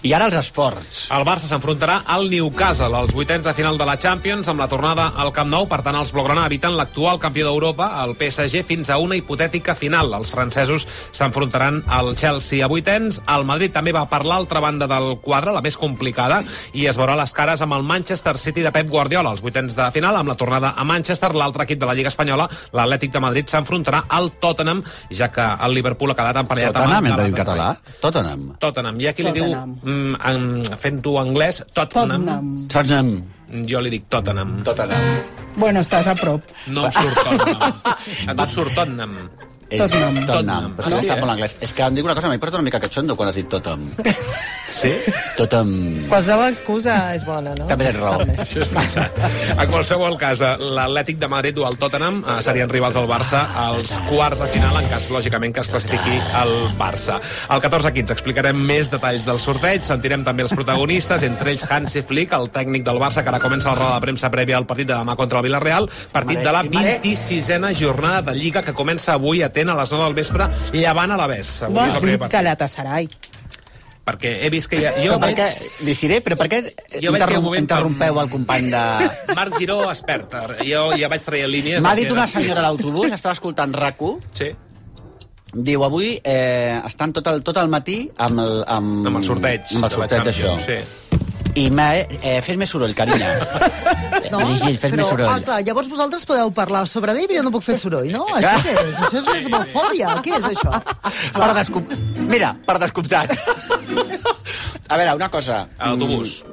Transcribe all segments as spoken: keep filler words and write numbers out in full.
I ara els esports. El Barça s'enfrontarà al Newcastle als vuitens de final de la Champions amb la tornada al Camp Nou. Per tant, els blaugrana eviten l'actual campió d'Europa, el P S G, fins a una hipotètica final. Els francesos s'enfrontaran al Chelsea a vuitens. El Madrid també va per l'altra banda del quadre, la més complicada, i es veurà les cares amb el Manchester City de Pep Guardiola. Els vuitens de final, amb la tornada a Manchester, l'altre equip de la Lliga Espanyola, l'Atlètic de Madrid, s'enfrontarà al Tottenham, ja que el Liverpool ha quedat emparellat amb Tottenham, hem de dir en català? Tottenham. Tottenham. Hi ha qui li diu... En, fent-ho anglès, Tottenham. Tottenham. Jo li dic Tottenham. Tottenham. Bueno, estàs a prop. No em surt Tottenham. A tu surt Tottenham. Tottenham. Tottenham. Però és que sap molt anglès. És que em dic una cosa, m'hi porta una mica catxondo quan has dit Tottenham. Sí? Tottenham. Qualsevol excusa és bona, no? També tens raó. Això és veritat. En qualsevol cas, l'Atlètic de Madrid o el Tottenham serien rivals del Barça als quarts de final, en cas, lògicament, que es classifiqui el Barça. Al catorze quinze explicarem més detalls del sorteig, sentirem també els protagonistes, entre ells Hansi Flick, el tècnic del Barça, que ara comença la roda de premsa prèvia al partit de demà contra el Villarreal, partit de la vint-i-sisena jornada de Lliga, que comença avui a Atenes a les nou del vespre, llevant a l'Aves. Vols dir Galatasaray? Perquè he vist que ja... Jo però veig... perquè, Desiré, però per què interrom... interrompeu el company de... Marc Giró, expert. Jo ja vaig traient línies... M'ha dit una senyora a l'autobús, estava escoltant RAC-u. Sí. Diu, avui eh, estan tot el, tot el matí amb el... Amb, amb el sorteig. Amb el sorteig d'això. Sí. I eh, fes més soroll, carinyo. No, Brigitte, fes però, més soroll. Ah, clar, llavors vosaltres podeu parlar sobre ell, però jo no puc fer soroll, no? Això què és? Això és esmofòbia. Què és això? Per descom... Mira, per descomptat. A veure, una cosa. A l'autobús.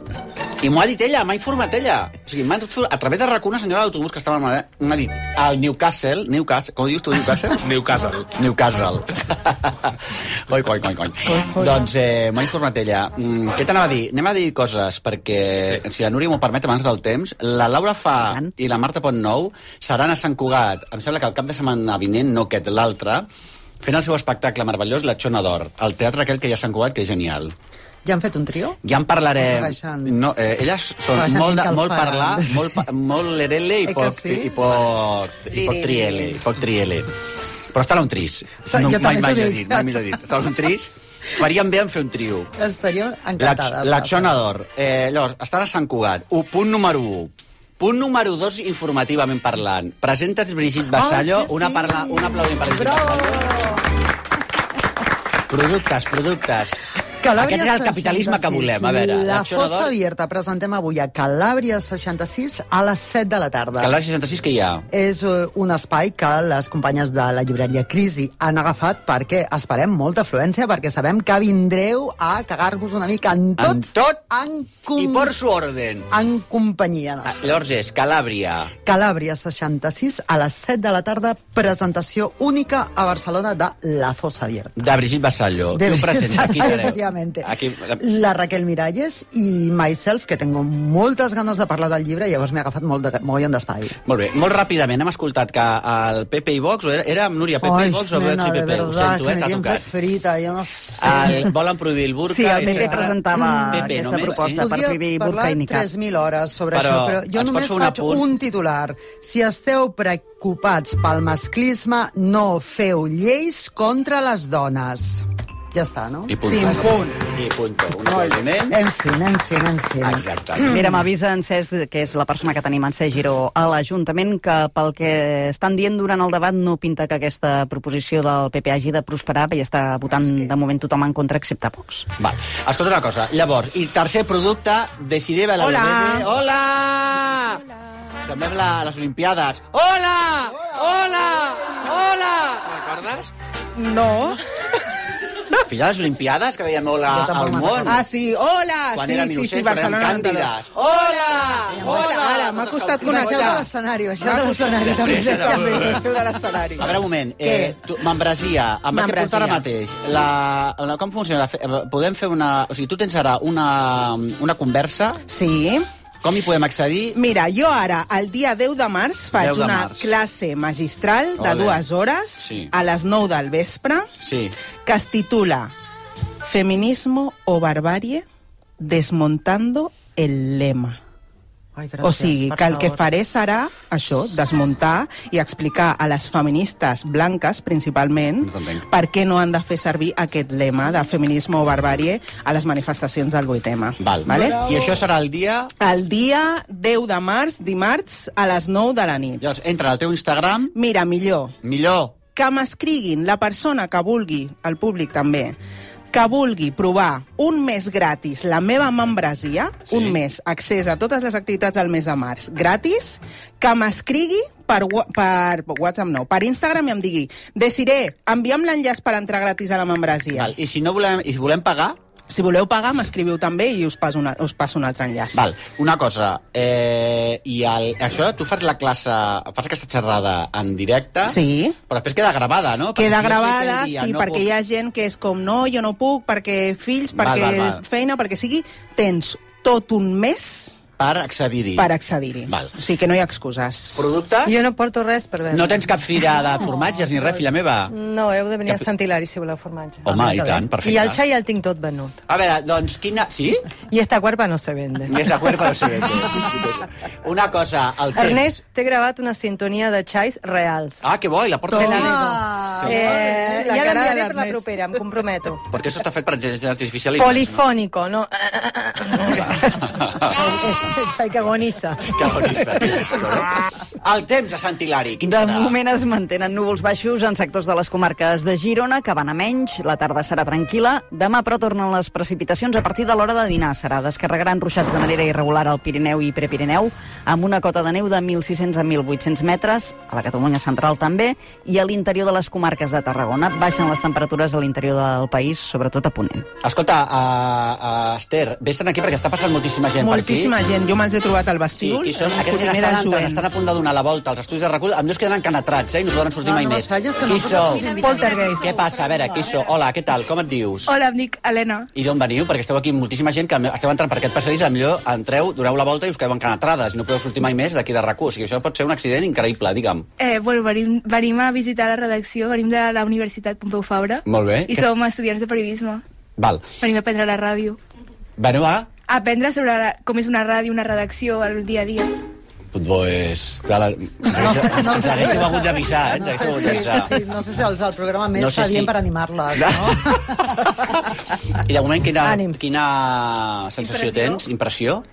I m'ho ha dit ella, m'ha informat ella. O sigui, a través de RAC una senyora de l'autobús que estava al m'ha dit, al Newcastle, Newcastle, com dius tu, Newcastle? Newcastle. Newcastle. Oi, coi, coi, coi. Doncs eh, m'ha informat ella. Mm, què t'anava a dir? Anem a dir coses, perquè, sí. si la Núria m'ho permet, abans del temps, la Laura Fa i la Marta Pontnou seran a Sant Cugat, em sembla que el cap de setmana vinent, no aquest, l'altre, fent el seu espectacle meravellós, La Xona d'Or, al teatre aquell que hi ha a Sant Cugat, que és genial. Ja han fet un trio? Ja en parlarem. No, eh, elles són molt, de, molt parlar, molt, molt lerele i poc, sí? i poc, i poc triele. I poc triele. Però està un tris. No, mai mai l'he dit, mai m'ho he dit. Està un tris. Faríem bé en fer un trio. Estaria encantada. La, la Xona d'Or. Eh, llavors, estan a Sant Cugat. Un, punt número un. Punt número dos, informativament parlant. Presentes Brigitte Vassallo. Oh, sí, sí. Una, parla, un aplaudiment per Brigitte Vassallo. Productes, productes. Calàbria Aquest és el capitalisme que volem, a veure. La Fossa Abierta, presentem avui a Calàbria seixanta-sis a les set de la tarda. Calàbria seixanta-sis què hi ha? És un espai que les companyes de la llibreria Crisi han agafat perquè esperem molta afluència, perquè sabem que vindreu a cagar-vos una mica en tot. En tot en com... i por su orden. En companyia. Ah, llavors és Calàbria. Calàbria seixanta-sis a les set de la tarda, presentació única a Barcelona de La Fossa Abierta. De Brigitte Vassallo. De Qui ho presenta? Aquí sereu. Aquí... La Raquel Miralles i myself, que tengo moltes ganes de parlar del llibre, i llavors m'he agafat molt de, mogollon d'espai. Molt bé, molt ràpidament hem escoltat que el Pepe i Vox, o era, era amb Núria Pepe i Vox o Vox i Pepe? Ho sento, eh, t'ha tocat. Frita, jo no sé. El, volen prohibir el burca. Sí, el Pepe presentava Pepe, aquesta només, proposta sí? per prohibir burca i nicab. tres mil hores sobre però, això, però jo només faig un, un titular. Si esteu preocupats pel masclisme, no feu lleis contra les dones. Ja està, no? I punt. Sí, punt. I punt. Un aplaudiment. En fi, en fi, en fi. Exacte. Mira, m'avisa en Cesc, que és la persona que tenim en Cesc Giró a l'Ajuntament, que pel que estan dient durant el debat no pinta que aquesta proposició del P P hagi de prosperar, i està votant de moment tothom en contra, excepte Vox. Val. Escolta una cosa, llavors, i tercer producte, Desiré Hola! Hola! Hola! Semblem la, les Olimpiades. Hola! Hola! Hola! Recordes? No. Filla les Olimpiades, que dèiem hola al món. Ah, sí, hola! Quan sí, eren sí, innocents, sí, quan eren càndides. Hola! Hola! Ara, m'ha costat conèixer... Baixeu de l'escenari, baixeu de l'escenari. Baixeu de l'escenari. A veure, un moment. Eh, tu, membresia, amb què portar ara mateix? La, la, com funciona? Podem fer una... O sigui, tu tens ara una, una conversa... Sí. Com hi podem accedir? Mira, jo ara, el dia deu de març, faig de una març. classe magistral de Ole. dues hores Sí. a les nou del vespre, Sí. que es titula Feminismo o barbarie, desmontando el lema. Ai, gràcies, o sigui, per que el que favor. faré serà això, desmuntar i explicar a les feministes blanques, principalment, No t'entenc. per què no han de fer servir aquest lema de feminisme o barbàrie a les manifestacions del vuit eme. Val. Vale? I això serà el dia... El dia deu de març, dimarts, a les nou de la nit. Llavors, entra al teu Instagram, Mira, millor, millor... que m'escriguin la persona que vulgui, el públic també, que vulgui provar un mes gratis la meva membresia, Sí. un mes, accés a totes les activitats del mes de març, gratis, que m'escrigui per, wa- per WhatsApp, no, per Instagram i em digui, Desiré, envia'm l'enllaç per entrar gratis a la membresia. Val. I si no volem, i si volem pagar... Si voleu pagar, m'escriviu també i us passo, una, us passo un altre enllaç. Val, una cosa, eh, i el, això, tu fas la classe, fas aquesta xerrada en directe, Sí. però després queda gravada, no? Perquè Queda si jo sé gravada, aquell dia sí, no perquè puc- hi ha gent que és com, no, jo no puc, perquè fills, Val, perquè val, val. feina, perquè sigui, tens tot un mes Per accedir-hi. per accedir-hi. Val. O sigui que no hi ha excuses. Productes? Jo no porto res per vendre. No tens cap fira de formatges ni res, filla meva? No, heu de venir Cap- a Sant Hilari si voleu formatge. Home, i tant, perfecte. I el xai el tinc tot venut. A veure, doncs, quina... Sí? I esta cuerpa no se vende. Ni és de cuerpo, no sé. Una cosa, el temps... Ernest, t'he gravat una sintonia de xais reals. Ah, que bo, i la porta... Te la Ah, digo. Eh, La ja cara de l'enviaré per la l'Ernest. propera, em comprometo. Perquè això està fet per intel·ligència artificial i... Polifónico, no? El xai que agoniza. Que bonita, que xisco, no? El temps a Sant Hilari, quin De serà? moment es mantenen núvols baixos en sectors de les comarques de Girona, que van a menys, la tarda serà tranquil·la. Demà, però, tornen les precipitacions a partir de l'hora de dinar. Serà descarregaran ruixats de manera irregular al Pirineu i Prepirineu, amb una cota de neu de mil sis-cents a mil vuit-cents metres, a la Catalunya central també, i a l'interior de les comarques de Tarragona. Baixen les temperatures a l'interior del país, sobretot a Ponent. Escolta, uh, uh, Esther, vés-te'n aquí perquè està passant moltíssima gent Moltíssima per aquí. gent. Jo me'ls he trobat al Sí, vestíbul. i són, en aquests gent primera estan, entrant, jovent. estan a punt de donar la volta als estudis de recull, amb dos queden encanatrats, eh, i no poden sortir No, mai no més. m'estranyes que Qui no sou? Poltergeist. Què passa? A veure, qui sou? Hola, què tal? Com et dius? Hola, em dic Helena. I d'on veniu? Perquè esteu aquí amb moltíssima gent que esteu entrant per aquest passadís, millor entreu, doneu la volta i us quedeu encanatrades i no podeu sortir mai més d'aquí de RAC u. O sigui, això pot ser un accident increïble, digue'm. Eh, bueno, venim, venim a visitar la redacció, venim de la Universitat Pompeu Fabra. Molt bé. I Que- som estudiants de periodisme. Val. Venim a aprendre la ràdio. Veniu a... Aprendre sobre la, com és una ràdio, una redacció, el dia a dia. Pues, clar, la... no sé, no ens haguéssiu hagut d'avisar, eh? Ens No haguéssiu hagut sé, d'avisar. si, sí, no sé si el, el programa més No no sé sé adient si- per animar-les, no? I de moment, quina, Ànims. quina sensació Impressió. tens? Impressió?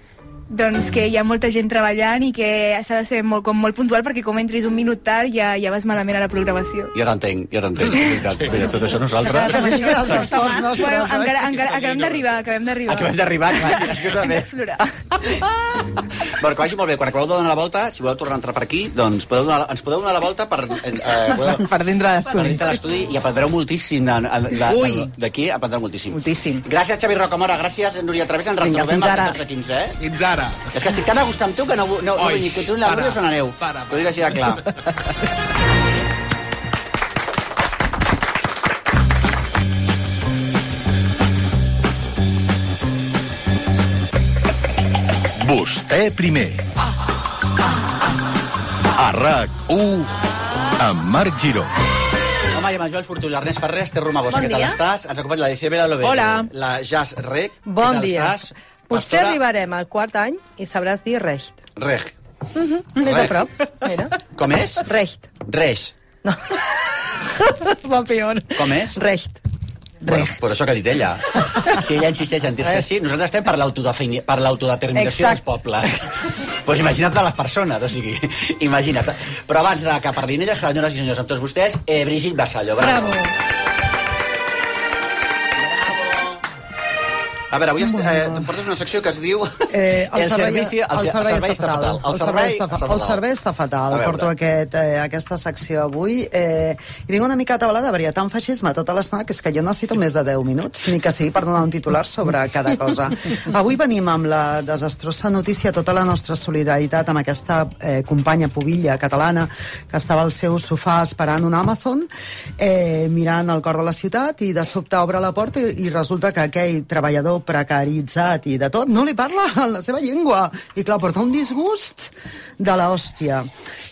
Doncs que hi ha molta gent treballant i que s'ha de ser molt, com molt puntual perquè com entris un minut tard ja, ja vas malament a la programació. Jo t'entenc, jo t'entenc. és veritat. Mira, tot això nosaltres... Que digui els esports nostres, Bueno, eh? encara, encara, acabem d'arribar, acabem d'arribar. Acabem d'arribar, clar, sí, això Hem també. d'explorar. Bueno, que vagi molt bé. Quan acabeu de donar la volta, si voleu tornar a entrar per aquí, doncs podeu donar, ens podeu donar la volta per... Eh, podeu, Per dintre de per l'estudi. dintre l'estudi i aprendreu moltíssim de- de- de- Ui. d'aquí, aprendreu moltíssim. Moltíssim. Gràcies, Xavi Rocamora, gràcies, Núria Través, ens Vinga, retrobem fins al ara. catorze quinze, eh? Fins ara. És que estic tan a gust amb tu que no, no, no Oi, vull ni continuï la para, Núria o se n'aneu. para, T'ho dic així de clar. Vostè primer. A RAC u amb Marc Giró. Home, i amb el Joel Fortuny, l'Ernest Ferrer, Esther Romagosa, Bon què tal dia. estàs? Ens acompanya la Isabel Lovero, Hola. la Jazz Rec. Bon què tal dia. estàs? Potser Pastora arribarem al quart any i sabràs dir recht. Reg. Més a Recht. prop, mira. Com és? Recht. Reix. Va peor. Com és? Recht. Bueno, pues això que ha dit ella. Si ella insisteix en dir-se així, nosaltres estem per l'autodefini- per l'autodeterminació dels Exacte. pobles. Pues imagina't de les persones, o sigui, imagina't. Però abans de que parlin elles, senyores i senyors, amb tots vostès, eh, Brigitte Vassallo. Bravo. Bravo. A veure, avui est- eh, em portes una secció que es diu... Eh, el, el servei, servici, el, el servei està fatal. El servei està fatal. El servei està fatal. A veure. Porto aquest, eh, aquesta secció avui. Eh, I vinc una mica atabalada, perquè hi ha tant feixisme tota l'estona que és que jo necessito més de deu minuts, ni que sigui per donar un titular sobre cada cosa. Avui venim amb la desastrosa notícia, tota la nostra solidaritat amb aquesta eh, companya pubilla catalana que estava al seu sofà esperant un Amazon, eh, mirant el cor de la ciutat, i de sobte obre la porta i, i resulta que aquell treballador precaritzat i de tot, no li parla en la seva llengua. I clar, porta un disgust de l'hòstia.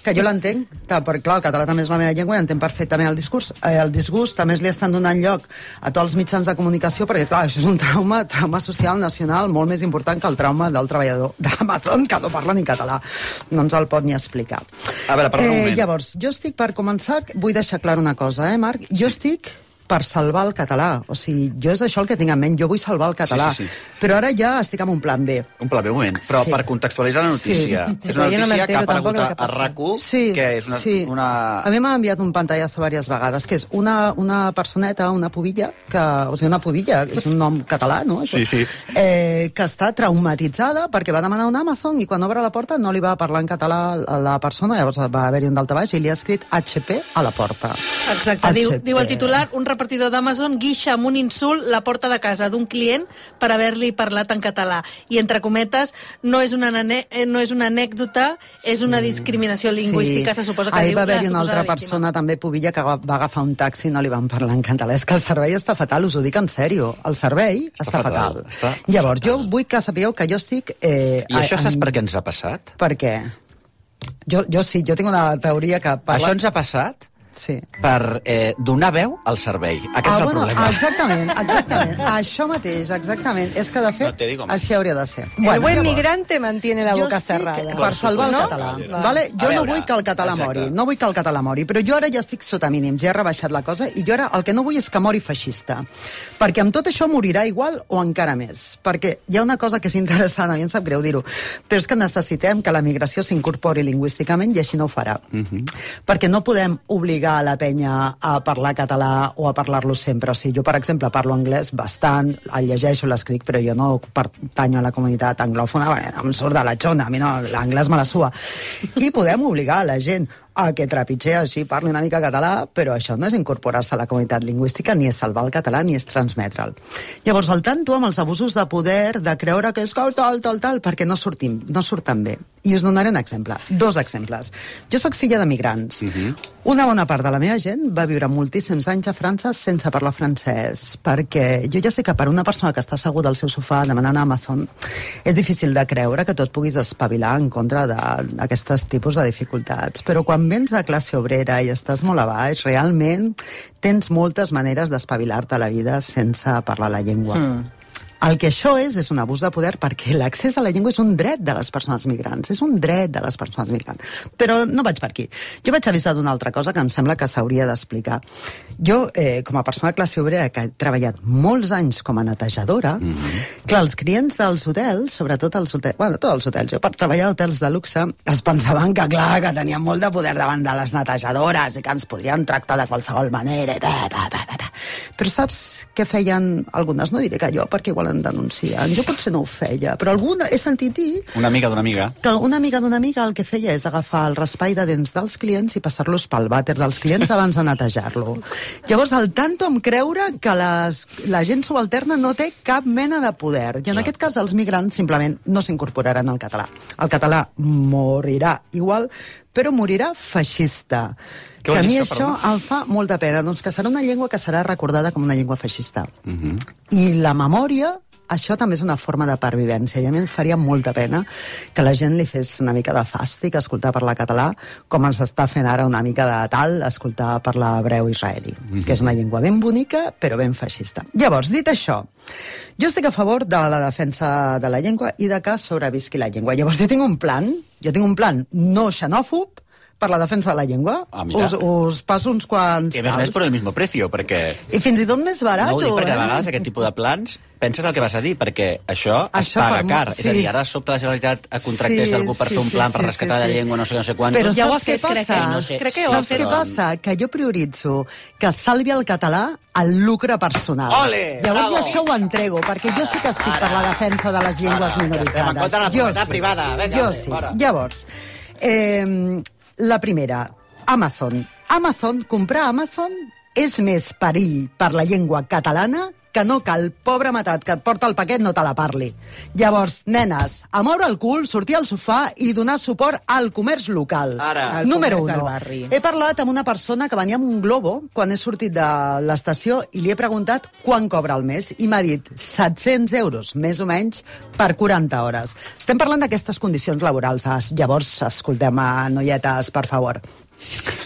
Que jo l'entenc, perquè clar, el català també és la meva llengua i entenc perfectament el discurs. Eh, el disgust també li estan donant lloc a tots els mitjans de comunicació, perquè clar, això és un trauma, trauma social nacional molt més important que el trauma del treballador d'Amazon, que no parla ni català. No ens el pot ni explicar. A veure, perdona un moment. Eh, llavors, jo estic, per començar, vull deixar clar una cosa, eh, Marc? Jo estic per salvar el català. O sigui, jo és això el que tinc en ment. Jo vull salvar el català. Sí, sí, sí. Però ara ja estic amb un plan B. Un plan B, un moment. Però Sí. per contextualitzar la notícia. Sí. És una Sí, jo no notícia que ha m'entero aparegut tampoc a, el que a passa. RAC1, Sí, que és una... sí. una... A mi m'ha enviat un pantallazo diverses vegades, que és una, una personeta, una pubilla, que, o sigui, una pubilla, és un nom català, no? Això? Sí, sí. Eh, que està traumatitzada perquè va demanar un Amazon i quan obre la porta no li va parlar en català a la persona, llavors va haver-hi un daltabaix i li ha escrit H P a la porta. Exacte, diu, H P. diu el titular, un repartidor d'Amazon guixa amb un insult la porta de casa d'un client per haver-li parlat en català. I entre cometes, no és una, nane, no és una anècdota, és una discriminació lingüística, se suposa que Ahir diu va la haver-hi una suposada altra víctima. persona també pubilla que va va agafar un taxi i no li van parlar en català. És que el servei està fatal, us ho dic en sèrio. El servei està, Està fatal. fatal, està Llavors, fatal. jo vull que sapigueu que jo estic... Eh, I això a- saps en- per què ens ha passat? Per què? Jo, jo sí, jo tinc una teoria que parla... Això ens ha passat Sí. per eh, donar veu al servei. Aquest Ah, és el bueno, problema. exactament, exactament. Això mateix, exactament. És que, de fet, No te digo más. així hauria de ser. El buen llavors, migrante mantiene la jo boca estic cerrada. per salvar el ¿No? català. Vale. Vale? Jo A no veure, vull que el català exacte. mori, no vull que el català mori, però jo ara ja estic sota mínims, ja he rebaixat la cosa, i jo ara el que no vull és que mori feixista. Perquè amb tot això morirà igual o encara més. Perquè hi ha una cosa que és interessant, a mi em sap greu dir-ho, però és que necessitem que la migració s'incorpori lingüísticament i així no ho farà. Mhm. Perquè no podem obligar a la penya a parlar català o a parlar-lo sempre. O sigui, jo, per exemple, parlo anglès bastant, el llegeixo, l'escric, però jo no pertanyo a la comunitat anglòfona, bueno, em surt de la xona, a mi no, l'anglès me la sua. I podem obligar a la gent a que trepitger així, parli una mica català, però això no és incorporar-se a la comunitat lingüística, ni és salvar el català, ni és transmetre'l. Llavors, al tanto amb els abusos de poder, de creure que és tal, tal, tal, tal, perquè no sortim, no surten bé. I us donaré un exemple, dos exemples. Jo sóc filla de migrants. Mhm. Una bona part de la meva gent va viure moltíssims anys a França sense parlar francès, perquè jo ja sé que per una persona que està asseguda al seu sofà demanant a Amazon és difícil de creure que tu et puguis espavilar en contra d'aquests tipus de dificultats. Però quan vens de classe obrera i estàs molt a baix, realment tens moltes maneres d'espavilar-te a la vida sense parlar la llengua. Mm. El que això és, és un abús de poder perquè l'accés a la llengua és un dret de les persones migrants, és un dret de les persones migrants. Però no vaig per aquí. Jo vaig avisar d'una altra cosa que em sembla que s'hauria d'explicar. Jo, eh, com a persona de classe obrera que he treballat molts anys com a netejadora, mm -hmm. clar, els clients dels hotels, sobretot els hotels, bueno, tots els hotels, jo per treballar a hotels de luxe, es pensaven que, clar, que tenien molt de poder davant de les netejadores i que ens podrien tractar de qualsevol manera. Bah, bah, bah, bah. Però saps què feien algunes? No diré que jo, perquè igual en denuncien. Jo potser no ho feia, però alguna he sentit dir Una amiga d'una amiga. que una amiga d'una amiga el que feia és agafar el raspall de dents dels clients i passar-los pel vàter dels clients abans de netejar-lo. Llavors, al tanto em creure que les, la gent subalterna no té cap mena de poder. I en aquest cas, els migrants simplement no s'incorporaran al català. El català morirà igual, però morirà feixista. Què Que vol a dir mi això, això perdona? em fa molta pena, doncs que serà una llengua que serà recordada com una llengua feixista. Mhm. I la memòria, això també és una forma de pervivència, i a mi em faria molta pena que la gent li fes una mica de fàstic escoltar parlar català, com ens està fent ara una mica de tal escoltar parlar hebreu israelí, mm-hmm. que és una llengua ben bonica, però ben feixista. Llavors, dit això, jo estic a favor de la defensa de la llengua i de que sobrevisqui la llengua. Llavors, jo tinc un plan, jo tinc un plan no xenòfob, per la defensa de la llengua. Ah, mira. us, us passo uns quants... I a més a més tals. per el mismo precio, perquè... I fins i tot més barat, No ho dic perquè eh? a vegades aquest tipus de plans penses el que vas a dir, perquè això, Això es paga per mo- car. sí. És a dir, ara de sobte la Generalitat contractés Sí, algú per sí, fer un sí, plan sí, per rescatar sí, la sí. llengua, no sé, no sé quantos. Però Ja ho saps ha què fet, crec passa? que- no sé. crec que ho ha Saps fet. què passa? Que jo prioritzo que salvi el català al lucre personal. Ole, Llavors bravo. jo això ho entrego, perquè jo sí que estic per la defensa de les llengües Ara, estem en minoritzades. contra de la Jo propietat sí. privada. Vinga, Jo hombre, sí. fora. Llavors, eh, la primera, Amazon. Amazon, comprar a Amazon és més perill per la llengua catalana que no cal, pobre matat, que et porta el paquet no te la parli. Llavors, nenes, a moure el cul, sortir al sofà i donar suport al comerç local. Ara. Número comerç del uno. barri. He parlat amb una persona que venia amb un globo quan he sortit de l'estació i li he preguntat quan cobra al mes i m'ha dit set-cents euros, més o menys, per quaranta hores. Estem parlant d'aquestes condicions laborals. Llavors, escoltem, a noietes, per favor.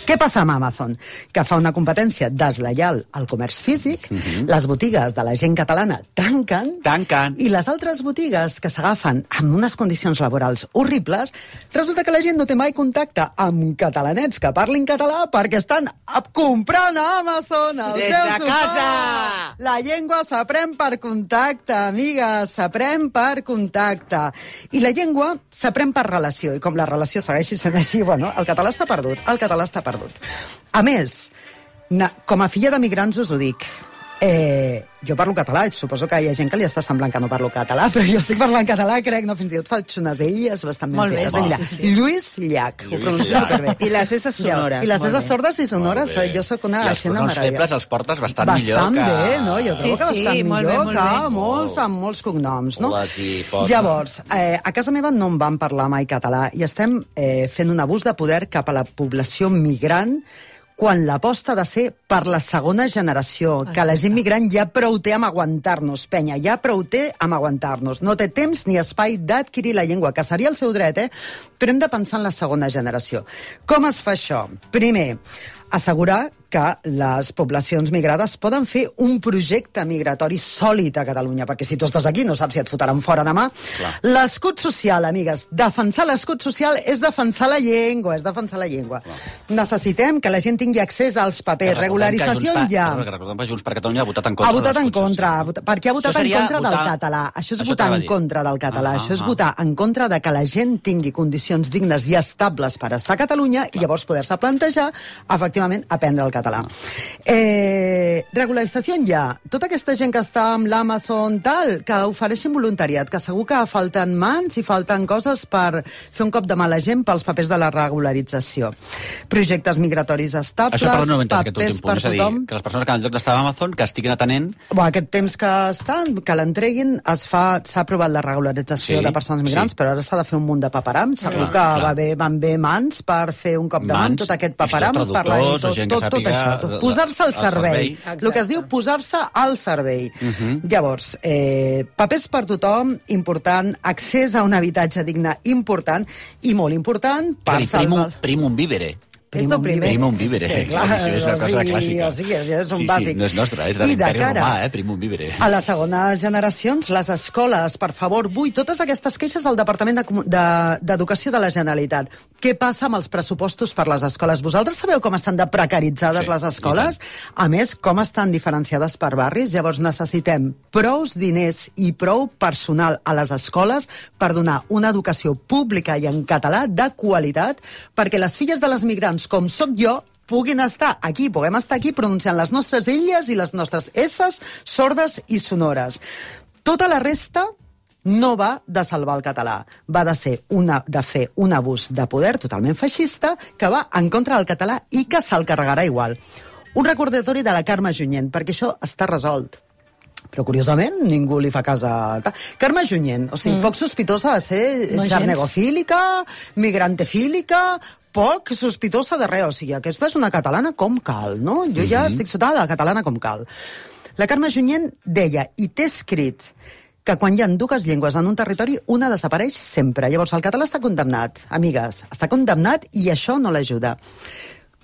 Què passa amb Amazon? Que fa una competència deslleial al comerç físic, uh-huh. les botigues de la gent catalana tanquen, tanquen, i les altres botigues que s'agafen amb unes condicions laborals horribles, resulta que la gent no té mai contacte amb catalanets que parlin català perquè estan comprant a Amazon el Des seu de sofà. casa! La llengua s'aprèn per contacte, amigues, s'aprèn per contacte. I la llengua s'aprèn per relació, i com la relació segueixi sent així, bueno, el català està perdut, el català està perdut. A més, na, com a filla de migrants us ho dic, eh, jo parlo català, i suposo que hi ha gent que li està semblant que no parlo català, però jo estic parlant català, crec, no, fins i tot faig unes elles bastant ben Molt bé, fetes. Mira, sí, sí. Lluís Llach, ho pronuncio superbé. I les esses sonores. I les molt esses bé. sordes i sonores, Molt bé. jo sóc una I els aixena pronoms meravella. febles els portes bastant, Bastant millor que... bé, no? Jo trobo Sí, que bastant sí, molt bé, millor molt que bé. molts amb molts cognoms, no? Les hi posen. Llavors, eh, a casa meva no em van parlar mai català i estem eh, fent un abús de poder cap a la població migrant quan l'aposta ha de ser per la segona generació, que la gent migrant ja prou té amb aguantar-nos, penya, ja prou té amb aguantar-nos. No té temps ni espai d'adquirir la llengua, que seria el seu dret, eh? Però hem de pensar en la segona generació. Com es fa això? Primer, assegurar que les poblacions migrades poden fer un projecte migratori sòlid a Catalunya, perquè si tu estàs aquí no saps si et fotran fora demà. L'escut social, amigues, defensar l'escut social és defensar la llengua, és defensar la llengua. Clar. Necessitem que la gent tingui accés als papers, regularització ja. Recordem que Junts per Catalunya ha votat en contra. Ha votat en contra, perquè ha votat en contra del votar... català. Això és Això votar en dir. contra del català, Ah, això és ah. votar en contra de que la gent tingui condicions dignes i estables per estar a Catalunya i llavors poder-se plantejar, efectivament, aprendre el català. Eh, regularització ja. Tota aquesta gent que està amb l'Amazon tal, que ofereixin voluntariat, que segur que falten mans i falten coses per fer un cop de mala gent pels papers de la regularització. Projectes migratoris estables, Això, perdó, no ho he entès, aquest papers últim punt. per És a dir, tothom. que les persones que en lloc d'estar a Amazon, que estiguin atenent... Bo, aquest temps que estan, que l'entreguin, es fa, s'ha aprovat la regularització Sí, de persones migrants, sí. però ara s'ha de fer un munt de paperam. Segur Clar, que clar. va bé, van bé mans per fer un cop de mà amb Mans, tot aquest i paperam. tot per la- traductors o tot, gent que tot, tot sàpiga això, tot. la- Posar-se al al servei. servei. El que es diu posar-se al servei. Uh -huh. Llavors, eh, papers per tothom, important, accés a un habitatge digne, important, i molt important, per Per primum, salvar... primum vivere. Esto primer. Primum vivere. Sí, clar, Això és una o cosa sigui, clàssica. o sigui, això és un sí, sí, bàsic. no és nostre, és de I de l'imperi cara romà, eh? Primum vivere. A les segones generacions, les escoles, per favor, vull totes aquestes queixes al Departament de Comu- de- d'Educació de, de la Generalitat. Què passa amb els pressupostos per les escoles? Vosaltres sabeu com estan de precaritzades Sí, les escoles? A més, com estan diferenciades per barris? Llavors necessitem prous diners i prou personal a les escoles per donar una educació pública i en català de qualitat perquè les filles de les migrants, com sóc jo, puguin estar aquí, puguem estar aquí pronunciant les nostres elles i les nostres esses sordes i sonores. Tota la resta no va de salvar el català, va de ser una, de fer un abús de poder totalment feixista que va en contra del català i que se'l carregarà igual. Un recordatori de la Carme Junyent, perquè això està resolt. Però, curiosament, ningú li fa cas a... Carme Junyent, o sigui, mm. poc sospitosa de ser No xarnegofílica, migrantefílica, poc sospitosa de res. O sigui, aquesta és una catalana com cal, no? Jo ja mm-hmm. estic sota de la catalana com cal. La Carme Junyent deia, i té escrit, que quan hi ha dues llengües en un territori, una desapareix sempre. Llavors, el català està condemnat, amigues, està condemnat i això no l'ajuda.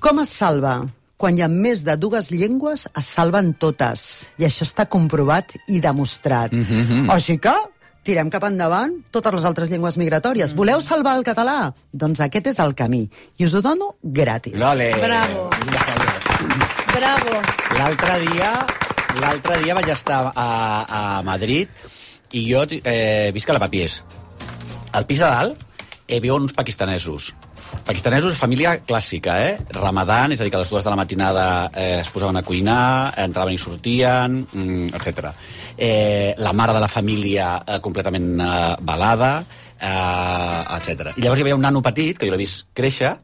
Com es salva? Quan hi ha més de dues llengües, es salven totes. I això està comprovat i demostrat. Mm-hmm. O sigui que tirem cap endavant totes les altres llengües migratòries. Voleu salvar el català? Doncs aquest és el camí. I us ho dono gratis. Lole. Bravo. Bravo. L'altre dia, l'altre dia vaig estar a, a Madrid i jo eh, visc a la Papies. Al pis de dalt eh, viuen uns pakistanesos. Pakistanesos, família clàssica, eh? Ramadan, és a dir, que a les dues de la matinada eh, es posaven a cuinar, entraven i sortien, mm, etcètera. Eh, la mare de la família eh, completament eh, balada, eh, etcètera. I llavors hi havia un nano petit, que jo l'he vist créixer,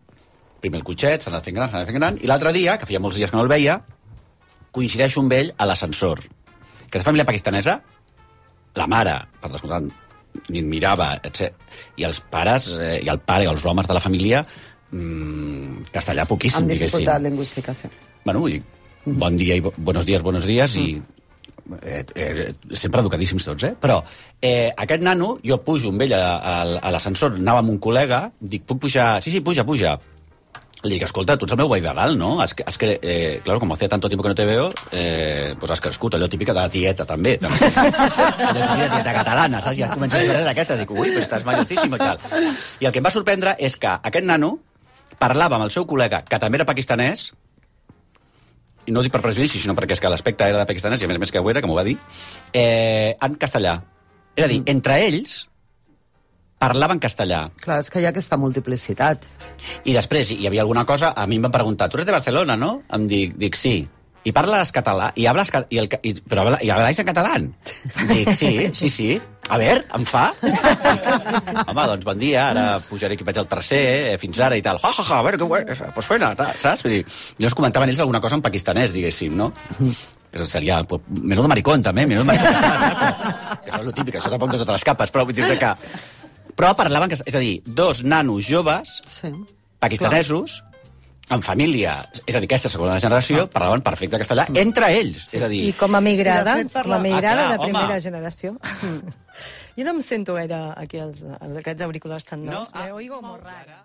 primer el cotxet, s'ha anat fent gran, s'ha anat fent gran, i l'altre dia, que feia molts dies que no el veia, coincideixo amb ell a l'ascensor. Aquesta família pakistanesa, la mare, per descomptat, ni et mirava, etcètera. I els pares, eh, i el pare i els homes de la família, mmm, castellà poquíssim, Amb diguéssim. dificultat lingüística, sí. Bueno, vull dir, bon dia i bo, buenos dies, buenos dies, i eh, eh, sempre educadíssims tots, eh? Però eh, aquest nano, jo pujo amb ell a, a, a l'ascensor, anava amb un col·lega, dic, puc pujar? Sí, sí, puja, puja. Le dic, escolta, tu ets el meu veí de dalt, no? Has, has que, eh, claro, como hacía tanto tiempo que no te veo, eh, pues has crescut, allò típica de la tieta, també. també. Allò típica de tieta catalana, saps? I ja comença a fer aquesta, dic, ui, però estàs mallorcíssim i tal. I el que em va sorprendre és que aquest nano parlava amb el seu col·lega, que també era pakistanès, i no ho dic per prejudici, sinó perquè és que l'aspecte era de pakistanès, i a més a més que ho era, que m'ho va dir, eh, en castellà. És a dir, entre ells parlaven castellà. Clar, és que hi ha aquesta multiplicitat. I després hi havia alguna cosa, a mi em van preguntar, tu eres de Barcelona, no? Em dic, dic sí. I parles català? I hables i el, i, però habla, i habláis en català? Dic, sí, sí, sí. A veure, em fa? Home, doncs bon dia, ara pujaré aquí, vaig al tercer, eh, fins ara i tal. Ja, ja, ja, a veure, que bueno, pues suena, saps? Vull dir, llavors comentaven ells alguna cosa en pakistanès, diguéssim, no? Que seria, pues, menudo maricón, també, menudo maricón. Que això és lo típic, això tampoc de totes les capes, però vull dir que... Però parlaven, és a dir, dos nanos joves, Sí. pakistanesos, en família, és a dir, aquesta segona generació, parlaven perfecte castellà entre ells. És a dir, I com a migrada, I de fet, com a parla- migrada Ah, clar, de home. primera generació. Jo no em sento gaire aquí els, aquests auriculars tan nous. No? Ah, Me oigo molt rara.